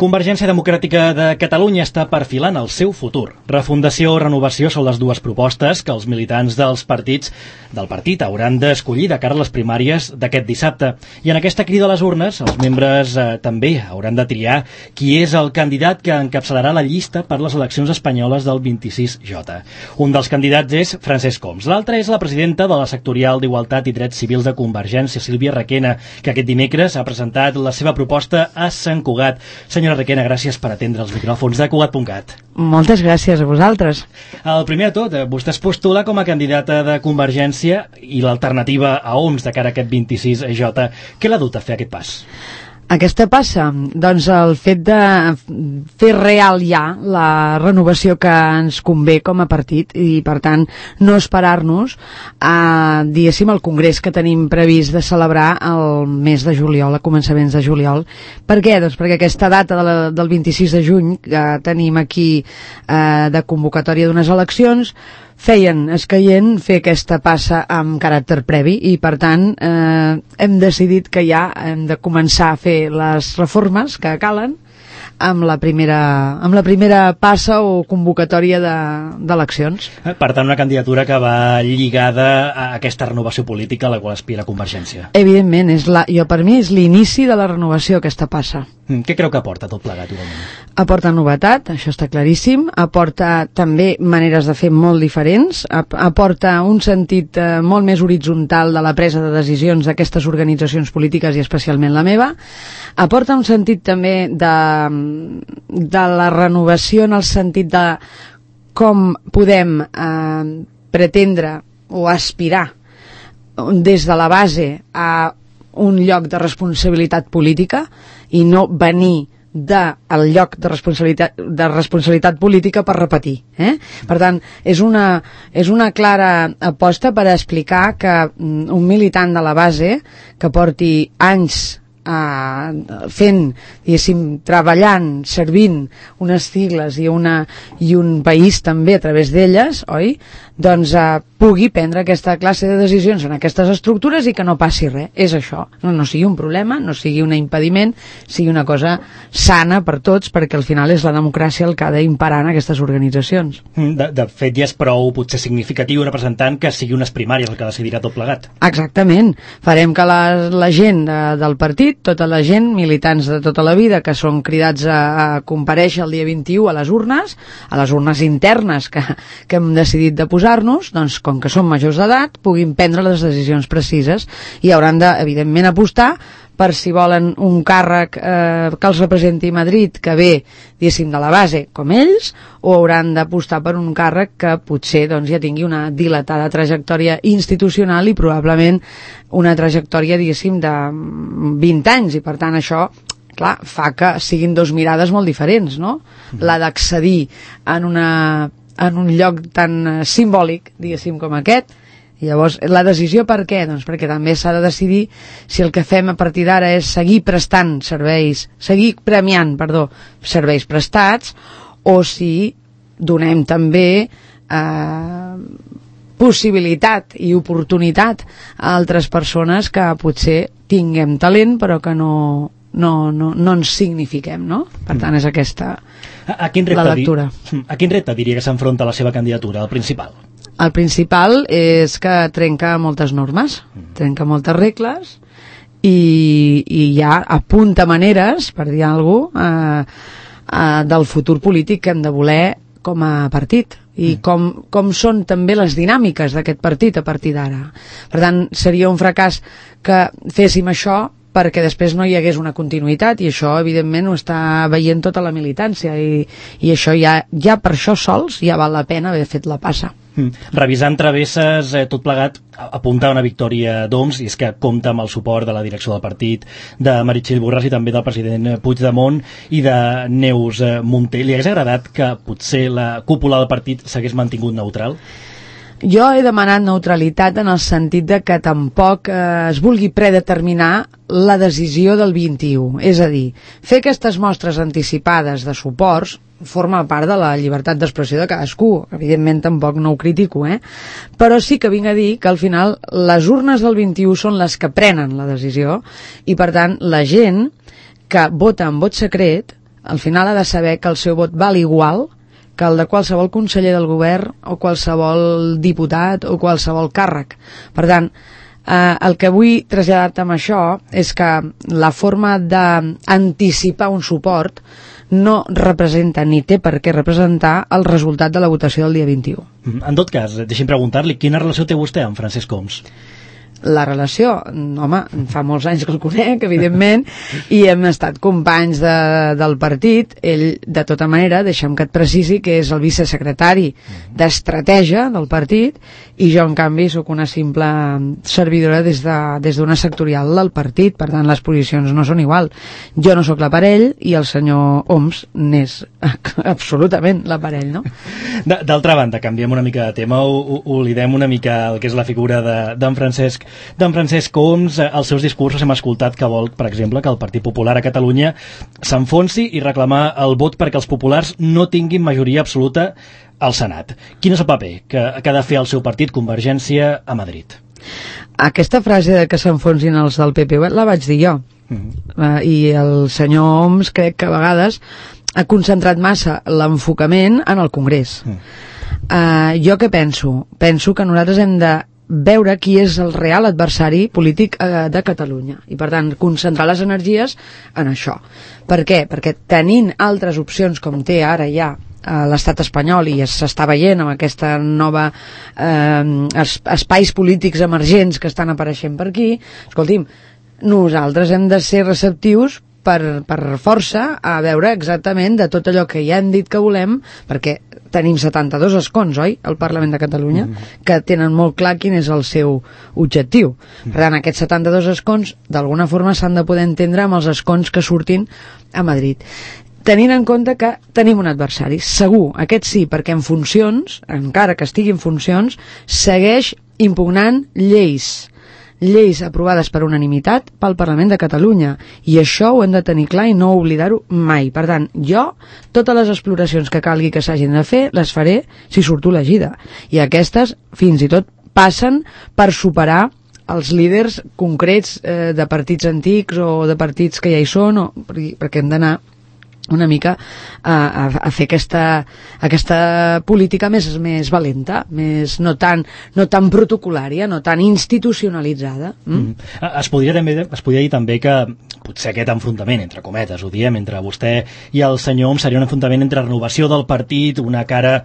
Convergència Democràtica de Catalunya està perfilant el seu futur. Refundació o renovació són les dues propostes que els militants del partit hauran d'escollir de cara a les primàries d'aquest dissabte. I en aquesta crida a les urnes, els membres també hauran de triar qui és el candidat que encapçalarà la llista per les eleccions espanyoles del 26J. Un dels candidats és Francesc Homs. L'altre és la presidenta de la sectorial d'Igualtat i Drets Civils de Convergència, Sílvia Requena, que aquest dimecres ha presentat la seva proposta a Sant Cugat. Senyora Requena, gràcies per atendre els micròfons de Cugat.cat. Moltes gràcies a vosaltres. El primer de tot, vostè es postula com a candidata de Convergència i l'alternativa a Homs de cara a aquest 26J. Què l'ha dut a fer aquest pas? Aquesta passa, doncs, el fet de fer real ja la renovació que ens convé com a partit i, per tant, no esperar-nos a, diguéssim, el congrés que tenim previst de celebrar el mes de juliol, a començaments de juliol. Per què? Doncs perquè aquesta data del 26 de juny que tenim aquí de convocatòria d'unes eleccions feien escaient fer aquesta passa amb caràcter previ i, per tant, hem decidit que ja hem de començar a fer les reformes que calen amb la primera passa o convocatòria d'eleccions. Per tant, una candidatura que va lligada a aquesta renovació política a la qual aspira Convergència. Evidentment, per mi és l'inici de la renovació, aquesta passa. Què creu que aporta tot plegat, igualment? Aporta novetat, això està claríssim, aporta també maneres de fer molt diferents, aporta un sentit molt més horitzontal de la presa de decisions d'aquestes organitzacions polítiques i especialment la meva, aporta un sentit també de la renovació en el sentit de com podem pretendre o aspirar des de la base a un lloc de responsabilitat política i no venir del lloc de responsabilitat política per repetir. Per tant, és una clara aposta per explicar que un militant de la base que porti anys fent, diguéssim, treballant, servint unes sigles i un país també a través d'elles, oi? Doncs pugui prendre aquesta classe de decisions en aquestes estructures i que no passi res. És això. No sigui un problema, no sigui un impediment, sigui una cosa sana per tots, perquè al final és la democràcia el que ha d'imperar en aquestes organitzacions. De fet, ja és prou potser significatiu representant que sigui unes primàries el que decidirà tot plegat. Exactament. Farem que la gent del partit, tota la gent, militants de tota la vida, que són cridats a comparèixer el dia 21 a les urnes internes que hem decidit de posar-nos, doncs com que som majors d'edat, puguin prendre les decisions precises i hauran de, evidentment, apostar per si volen un càrrec que els representi a Madrid, que ve, diguéssim, de la base, com ells, o hauran d'apostar per un càrrec que potser ja tingui una dilatada trajectòria institucional i probablement una trajectòria, diguéssim, de 20 anys, i per tant això, clar, fa que siguin dos mirades molt diferents, no? La d'accedir en un lloc tan simbòlic, diguéssim, com aquest. I llavors, la decisió per què? Doncs perquè també s'ha de decidir si el que fem a partir d'ara és seguir premiant serveis prestats, o si donem també possibilitat i oportunitat a altres persones que potser tinguem talent però que no ens signifiquem, no? Per tant, és aquesta la lectura. A quin repte diria que s'enfronta la seva candidatura, el principal? El principal és que trenca moltes normes, trenca moltes regles i ja apunta maneres, per dir alguna cosa, del futur polític que hem de voler com a partit i com són també les dinàmiques d'aquest partit a partir d'ara. Per tant, seria un fracàs que féssim això perquè després no hi hagués una continuïtat, i això evidentment ho està veient tota la militància i això ja per això sols ja val la pena haver fet la passa. Revisant travesses, tot plegat apunta a una victòria d'Homs, i és que compta amb el suport de la direcció del partit, de Meritxell Borràs i també del president Puigdemont i de Neus Munté. Li hagués agradat que potser la cúpula del partit s'hagués mantingut neutral? Jo he demanat neutralitat en el sentit de que tampoc es vulgui predeterminar la decisió del 21. És a dir, fer aquestes mostres anticipades de suports forma part de la llibertat d'expressió de cadascú. Evidentment tampoc no ho critico, però sí que vinc a dir que al final les urnes del 21 són les que prenen la decisió i per tant la gent que vota en vot secret al final ha de saber que el seu vot val igual que el de qualsevol conseller del govern o qualsevol diputat o qualsevol càrrec. Per tant, el que vull traslladar-te amb això és que la forma d'anticipar un suport no representa ni té per què representar el resultat de la votació del dia 21. En tot cas, deixi'm preguntar-li, quina relació té vostè amb Francesc Homs? La relació, home, fa molts anys que el conec, evidentment, i hem estat companys del partit. Ell, de tota manera, deixa'm que et precisi que és el vicesecretari d'estratègia del partit, i jo, en canvi, sóc una simple servidora des d'una sectorial del partit. Per tant, les posicions no són igual. Jo no sóc l'aparell i el senyor Homs n'és absolutament l'aparell, no? D'altra banda, canviem una mica de tema, oblidem una mica el que és la figura d'en Francesc Homs. Als seus discursos hem escoltat que vol, per exemple, que el Partit Popular a Catalunya s'enfonsi i reclamar el vot perquè els populars no tinguin majoria absoluta al Senat. Quin és el paper que ha de fer el seu partit, Convergència, a Madrid? Aquesta frase de que s'enfonsin els del PP la vaig dir jo. I el senyor Homs crec que a vegades ha concentrat massa l'enfocament en el Congrés. Jo què penso? Penso que nosaltres hem de veure qui és el real adversari polític de Catalunya i, per tant, concentrar les energies en això. Per què? Perquè tenint altres opcions com té ara ja l'estat espanyol, i s'està veient amb aquesta nova espais polítics emergents que estan apareixent per aquí, escolti'm, nosaltres hem de ser receptius per força a veure exactament de tot allò que ja hem dit que volem, perquè tenim 72 escons, oi?, al Parlament de Catalunya, que tenen molt clar quin és el seu objectiu. Per tant, aquests 72 escons, d'alguna forma, s'han de poder entendre amb els escons que surtin a Madrid. Tenint en compte que tenim un adversari, segur, aquest sí, perquè en funcions, encara que estigui en funcions, segueix impugnant lleis aprovades per unanimitat pel Parlament de Catalunya, i això ho hem de tenir clar i no oblidar-ho mai. Per tant, jo, totes les exploracions que calgui que s'hagin de fer, les faré si surto elegida, i aquestes fins i tot passen per superar els líders concrets de partits antics o de partits que ja hi són, perquè hem d'anar una mica a fer aquesta política més valenta, més no tan protocolària, no tan institucionalitzada. Es podria dir també que potser aquest enfrontament, entre cometes, ho diem, entre vostè i el senyor Homs seria un enfrontament entre renovació del partit, una cara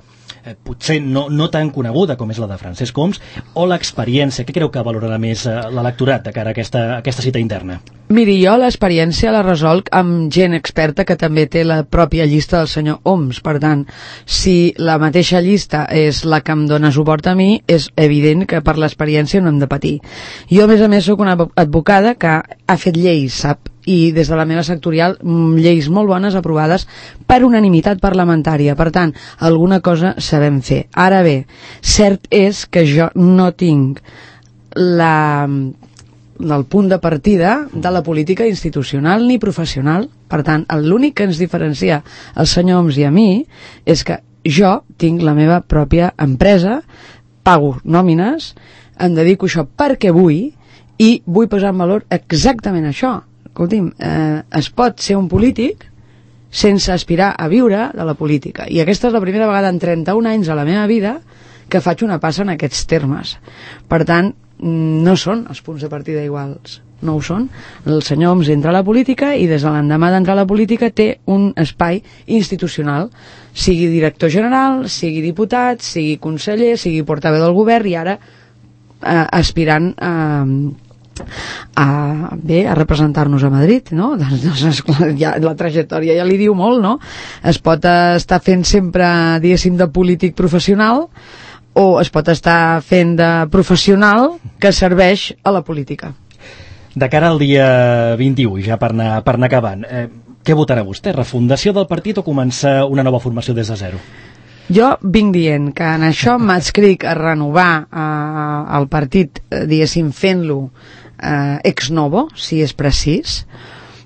potser no tan coneguda com és la de Francesc Homs, o l'experiència. Què creu que valorarà més l'electorat de cara a aquesta cita interna? Miri, jo l'experiència la resolc amb gent experta que també té la pròpia llista del senyor Homs. Per tant, si la mateixa llista és la que em dona suport a mi, és evident que per l'experiència no hem de patir. Jo, a més, sóc una advocada que ha fet lleis, sap? I des de la meva sectorial, lleis molt bones aprovades per unanimitat parlamentària. Per tant, alguna cosa sabem fer. Ara bé, cert és que jo no tinc el punt de partida de la política institucional ni professional. Per tant, l'únic que ens diferencia el senyor Homs i a mi és que jo tinc la meva pròpia empresa, pago nòmines, em dedico a això perquè vull, i vull posar en valor exactament això. Escolti'm, es pot ser un polític sense aspirar a viure de la política, i aquesta és la primera vegada en 31 anys a la meva vida que faig una passa en aquests termes. Per tant, no són els punts de partida iguals, no ho són. El senyor Homs entra a la política i des de l'endemà d'entrar a la política té un espai institucional, sigui director general, sigui diputat, sigui conseller, sigui portaveu del govern, i ara aspirant a representar-nos a Madrid, no? Doncs, ja, la trajectòria ja li diu molt, no? Es pot estar fent sempre, diguéssim, de polític professional, o es pot estar fent de professional que serveix a la política. De cara al dia 21, ja per anar acabant, què votarà vostè? Refundació del partit o començar una nova formació des de zero? Jo vinc dient que en això m'adscric a renovar el partit, diguéssim, fent-lo ex novo, si és precís,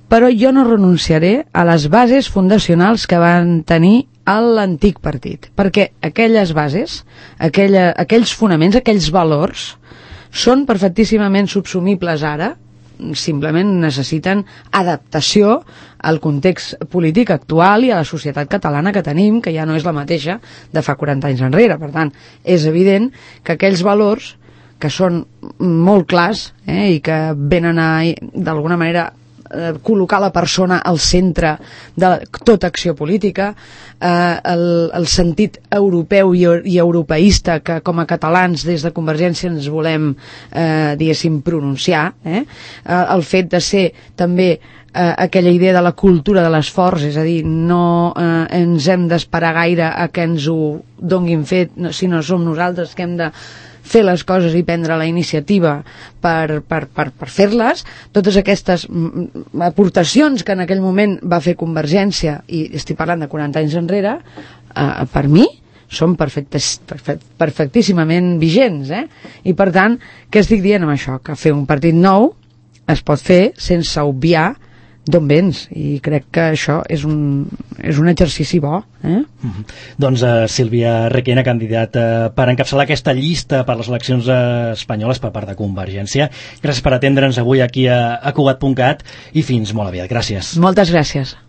però jo no renunciaré a les bases fundacionals que van tenir l'antic partit, perquè aquelles bases, aquells fonaments, aquells valors, són perfectíssimament subsumibles ara, simplement necessiten adaptació al context polític actual i a la societat catalana que tenim, que ja no és la mateixa de fa 40 anys enrere. Per tant, és evident que aquells valors que són molt clars i que venen a, d'alguna manera, col·locar la persona al centre de tota acció política, el sentit europeu i europeista que com a catalans des de Convergència ens volem, diguéssim, pronunciar, el fet de ser també aquella idea de la cultura de l'esforç, és a dir, no ens hem d'esperar gaire a que ens ho donguin fet, sinó som nosaltres que hem de fer les coses i prendre la iniciativa per fer-les. Totes aquestes aportacions que en aquell moment va fer Convergència, i estic parlant de 40 anys enrere, per mi són perfectíssimament vigents, I per tant, què estic dient amb això? Que fer un partit nou es pot fer sense obviar d'on vens, i crec que això és un exercici bo. Doncs Sílvia Requena, candidata per encapçalar aquesta llista per les eleccions espanyoles per part de Convergència. Gràcies per atendre'ns avui aquí a Cugat.cat i fins molt aviat. Gràcies. Moltes gràcies.